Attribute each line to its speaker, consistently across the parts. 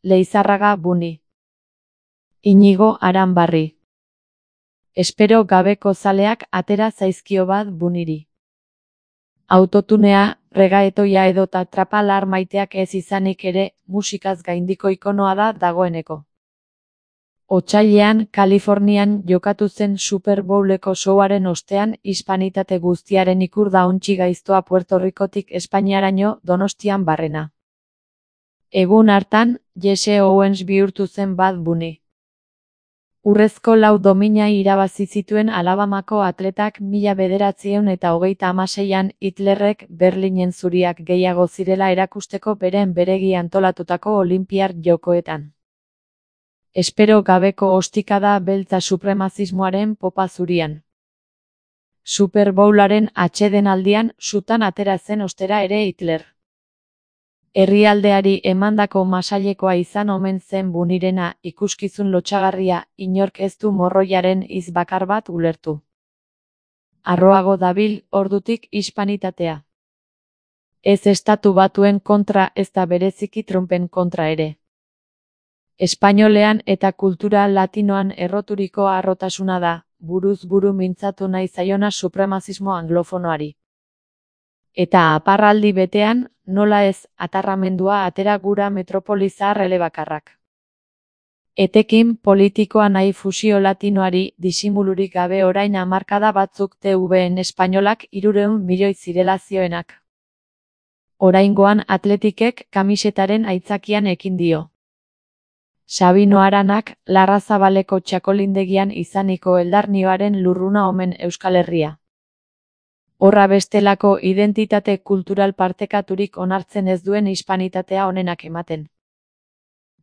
Speaker 1: Leizarraga Buni. Inigo Aranbarri. Espero gabeko zaleak atera zaizkio bat Buniri. Autotunea, regaetoia edota trapalar maiteak ez izanik ere, musikaz gaindiko ikonoa da dagoeneko. Otsailean, Kalifornian jokatu zen Super Bowleko showaren ostean hispanitate guztiaren ikur da ontsi gaiztoa Puerto Ricotik Espainiaraino Donostian barrena. Egun hartan, Jesse Owens bihurtu zen Bad Bunny. Urrezko 4 domina irabazi zituen Alabamako atletak 1936an Hitlerrek Berlinen zuriak gehiago zirela erakusteko beren beregi antolatutako Olinpiar Jokoetan. Espero gabeko ostikada beltza supremazismoaren popa zurian. Super Bowlaren atsedenaldian sutan atera zen ostera ere Hitler. Herrialdeari emandako masailekoa izan omen zen Bunirena, ikuskizun lotsagarria, inork ez du morroiaren hitz bakar bat ulertu. Harroago dabil ordutik hispanitatea. Ez Estatu Batuen kontra ezta bereziki Trumpen kontra ere. Espainolean eta kultura latinoan erroturiko harrotasuna da, buruz buru mintzatu nahi zaiona supremazismo anglofonoari. Eta aparraldi betean, nola ez, atarramendua atera gura metropoli zahar elebakarrak. Etekin politikoa nahi fusio latinoari disimulurik gabe orain hamarkada batzuk TVN espainolak 300 milioi zirela zioenak. Oraingoan Atletikek kamisetaren aitzakian ekin dio. Sabino Aranak, Larrazabaleko txakolindegian izaniko eldarnioaren lurruna omen Euskal Herria. Horra bestelako identitate kultural partekaturik onartzen ez duen hispanitatea onenak ematen.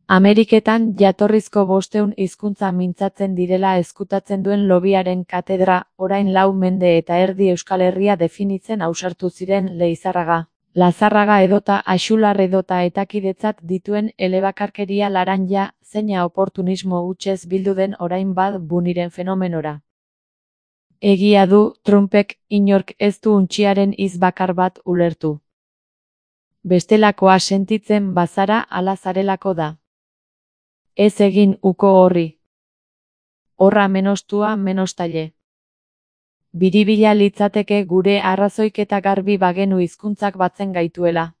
Speaker 1: Ameriketan jatorrizko 500 hizkuntza mintzatzen direla ezkutatzen duen lobiaren katedra, orain 4 mende eta erdi Euskal Herria definitzen ausartu ziren Leizarraga, Lazarraga edota Axular edota etakidetzat dituen elebakarkeria laranja, zeina oportunismo hutsez bildu den orain Bad Bunnyren fenomenora. Egia du, Trumpek inork ez du untxiaren hitz bakar bat ulertu. Bestelakoa sentitzen bazara ala zarelako da. Ez egin uko horri. Horra menostua menostaile. Biribila litzateke gure arrazoiketa garbi bagenu hizkuntzak batzen gaituela.